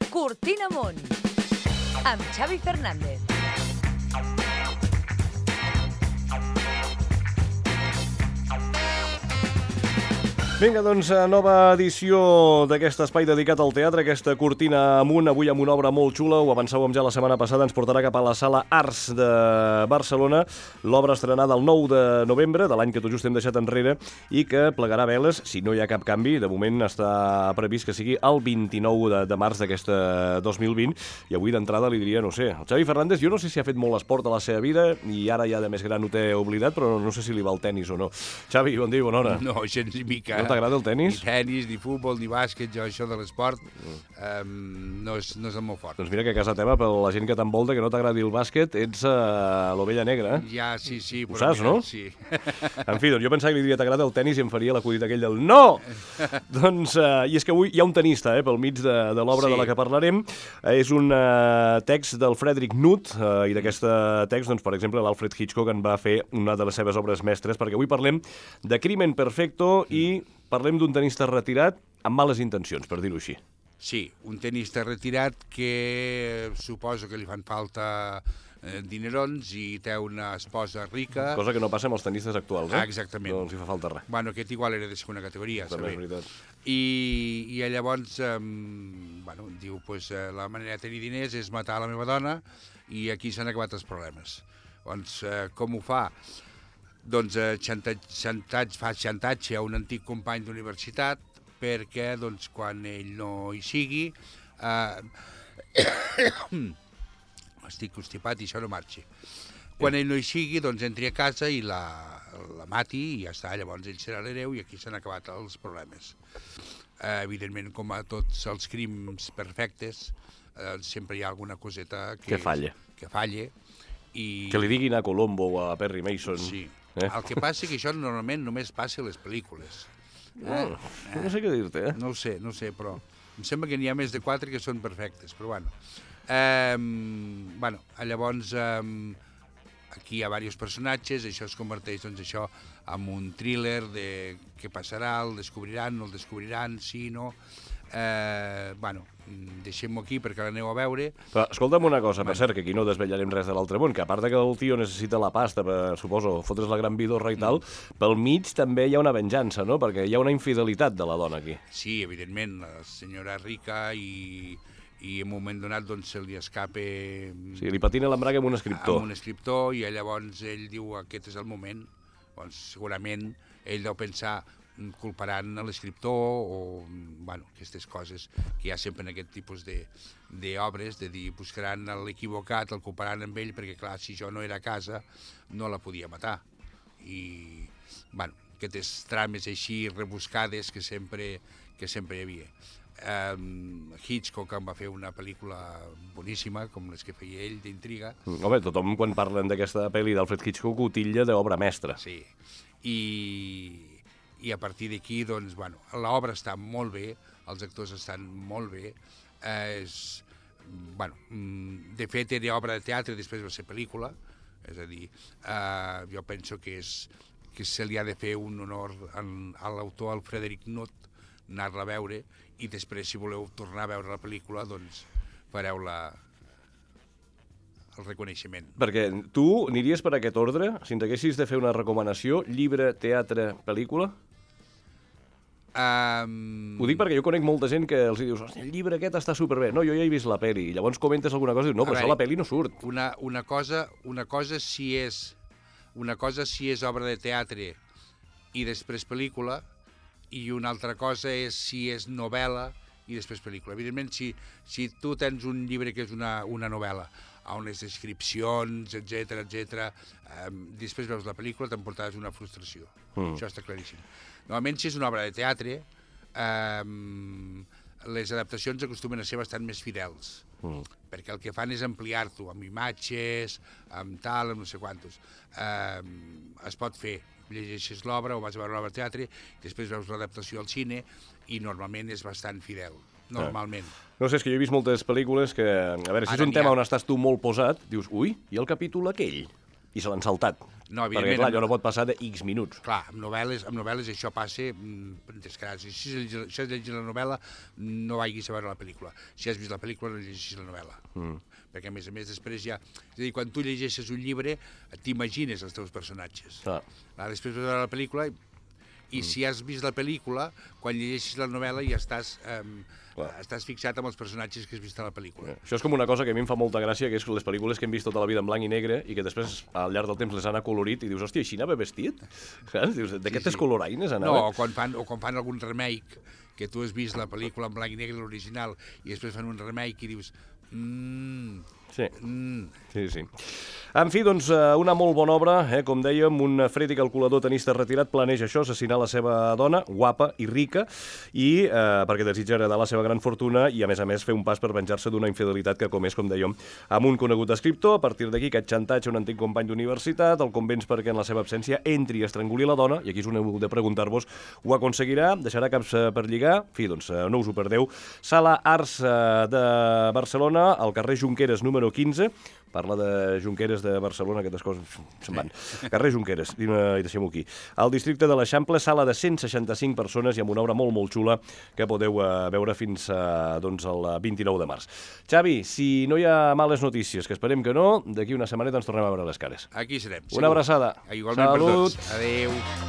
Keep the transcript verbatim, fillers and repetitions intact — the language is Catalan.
Cortina Amunt, amb Xavi Fernández. Vinga, doncs, nova edició d'aquest espai dedicat al teatre, aquesta Cortina Amunt, avui amb una obra molt xula, ho avançàvem ja la setmana passada, ens portarà cap a la Sala Arts de Barcelona, l'obra estrenada el nou de novembre, de l'any que tot just hem deixat enrere, i que plegarà veles, si no hi ha cap canvi, de moment està previst que sigui el vint-i-nou de, de març d'aquest dos mil vint, i avui d'entrada li diria, no sé, el Xavi Fernández, jo no sé si ha fet molt esport a la seva vida, i ara ja de més gran ho té oblidat, però no sé si li va el tennis o no. Xavi, bon dia i bona hora. No, gens ni mica. No t'agrada el tenis? Ni tenis, ni futbol, ni bàsquet, jo això de l'esport um, no, és, no és el meu fort. Doncs mira que a casa teva, per la gent que t'envolta, que no t'agradi el bàsquet, ets uh, l'ovella negra, eh? Ja, sí, sí. Ho saps, mira, no? Sí. En fi, doncs jo pensava que li diria t'agrada el tenis i em faria l'acudit aquell del no! Doncs, uh, i és que avui hi ha un tenista, eh, pel mig de, de l'obra Sí. de la que parlarem. Uh, és un uh, text del Friedrich Nutt, uh, i d'aquest text, doncs, per exemple, l'Alfred Hitchcock en va fer una de les seves obres mestres, perquè avui parlem de Crimen Perfecto i parlem d'un tenista retirat amb males intencions, per dir-ho així. Sí, un tenista retirat que suposo que li fan falta eh, dinerons i té una esposa rica. Cosa que no passa amb els tenistes actuals, eh? Ah, exactament. No els hi fa falta res. Bueno, aquest igual era de segona categoria, També és saber. veritat. I, i llavors, eh, bueno, diu, pues, eh, la manera de tenir diners és matar la meva dona i aquí s'han acabat els problemes. Doncs, eh, com ho fa? Doncs eh, xantatge, xantatge, fa xantatge a un antic company d'universitat perquè doncs, quan ell no hi sigui, eh, estic constipat i això no marxi. Quan ell no hi sigui, doncs entri a casa i la, la mati i ja està, llavors ell serà l'hereu i aquí s'han acabat els problemes. Eh, evidentment, com a tots els crims perfectes, eh, sempre hi ha alguna coseta que, Que falla. Que falle. I... Que li diguin a Colombo o a Perry Mason. Sí. Eh? El que passa és que això normalment només passa a les pel·lícules. Oh, no sé què dir-te, eh? No ho sé, no ho sé, però em sembla que n'hi ha més de quatre que són perfectes, però bueno. Eh, bueno, llavors eh, aquí hi ha diversos personatges, això es converteix, doncs, això en un thriller de què passarà, el descobriran, no el descobriran, sí, no... Eh, bueno, deixem-ho aquí perquè l'aneu a veure. Però escolta'm una cosa, per cert, que aquí no desvetllarem res de l'altre món, que a part de que el tio necessita la pasta per, suposo, fotre's la gran vidorra i tal, pel mig també hi ha una venjança, no? Perquè hi ha una infidelitat de la dona aquí. Sí, evidentment, la senyora rica i, i en un moment donat doncs, se li escape... Sí, li patina l'embrague amb un escriptor. Amb un escriptor i llavors ell diu aquest és el moment. Doncs segurament ell deu pensar culparan a l'escriptor o, bueno, aquestes coses que hi ha sempre en aquest tipus d'obres, de, de dir, buscaran l'equivocat, el culparan amb ell, perquè clar, si jo no era a casa, no la podia matar. I, bueno, aquestes trames així rebuscades que sempre, que sempre hi havia. Um, Hitchcock en va fer una pel·lícula boníssima, com les que feia ell, d'intriga. Home, tothom quan parlen d'aquesta pel·li d'Alfred Hitchcock ho titlla d'obra mestra. Sí, i... i a partir d'aquí, doncs, bueno, l'obra està molt bé, els actors estan molt bé, eh, és, bueno, de fet era obra de teatre, després va ser pel·lícula, és a dir, eh, jo penso que, és, que se li ha de fer un honor en, a l'autor, al Friedrich Nutt, anar-la a veure, i després, si voleu tornar a veure la pel·lícula, doncs fareu la, el reconeixement. Perquè tu aniries per aquest ordre, si ens haguessis de fer una recomanació, llibre, teatre, pel·lícula? Um... Ho dic perquè jo conec molta gent que els dius el llibre aquest està superbé, no, jo ja he vist la pel·li, i llavors comentes alguna cosa i dius, no, però veure, això a la pel·li no surt. Una, una, cosa, una cosa si és una cosa si és obra de teatre i després pel·lícula, i una altra cosa és si és novel·la i després pel·lícula. Evidentment, si, si tu tens un llibre que és una, una novel·la, on les descripcions, etcètera, etcètera, eh, després veus la pel·lícula, t'emportaràs una frustració. Mm. Això està claríssim. Normalment, si és una obra de teatre, eh, les adaptacions acostumen a ser bastant més fidels, mm. perquè el que fan és ampliar-t'ho amb imatges, amb tal, amb no sé quantos. Eh, es pot fer, llegeixes l'obra o vas a veure l'obra de teatre, després veus l'adaptació al cine i normalment és bastant fidel, normalment. Ah. No sé, és que jo he vist moltes pel·lícules que, a veure, si és un tema on estàs tu molt posat, dius, ui, i el capítol aquell? i se l'han saltat. No, perquè, evidentment, clar, amb- allò no pot passar de X minuts. Clar, amb novel·les, amb novel·les això passa mm, descarat. Si has si has llegit la novel·la, no vagis a veure la pel·lícula. Si has vist la pel·lícula, no llegeixis la novel·la. Mm. Perquè, a més a més, després ja... És a dir, quan tu llegeixes un llibre, t'imagines els teus personatges. Clar. Clar, després vas veure la pel·lícula i, i si has vist la pel·lícula, quan llegeixis la novel·la ja estàs... Eh, estàs fixat amb els personatges que has vist a la pel·lícula. Això és com una cosa que a mi em fa molta gràcia, que és les pel·lícules que hem vist tota la vida en blanc i negre i que després, al llarg del temps, les han acolorit i dius, hòstia, així anava vestit? Saps? Dius, d'aquestes sí, sí. coloraines anava? No, o quan, fan, o quan fan algun remake, que tu has vist la pel·lícula en blanc i negre, l'original, i després fan un remake i dius... Mmm... Sí. Mm. sí, sí. En fi, doncs, una molt bona obra, eh? Com dèiem, un fred i calculador tenista retirat planeja això, assassinar la seva dona, guapa i rica, i eh, perquè desitja heredar la seva gran fortuna i, a més a més, fer un pas per venjar-se d'una infidelitat que comés, com dèiem, amb un conegut escriptor. A partir d'aquí, aquest xantatge a un antic company d'universitat, el convenç perquè en la seva absència entri i estranguli la dona, i aquí és on heu de preguntar-vos, ho aconseguirà? Deixarà caps per lligar? En fi, doncs, no us ho perdeu. Sala Arts de Barcelona, al carrer Junqueras, número quinze, parla de Junqueras de Barcelona, aquestes coses se'n van. Carrer Junqueras, i deixem-ho aquí. Al districte de l'Eixample, sala de cent seixanta-cinc persones i amb una obra molt, molt xula que podeu veure fins a, doncs, el vint-i-nou de març. Xavi, si no hi ha males notícies, que esperem que no, d'aquí una setmaneta ens tornem a veure les cares. Aquí serem. Una abraçada. Igualment per Salut. tots. Adéu.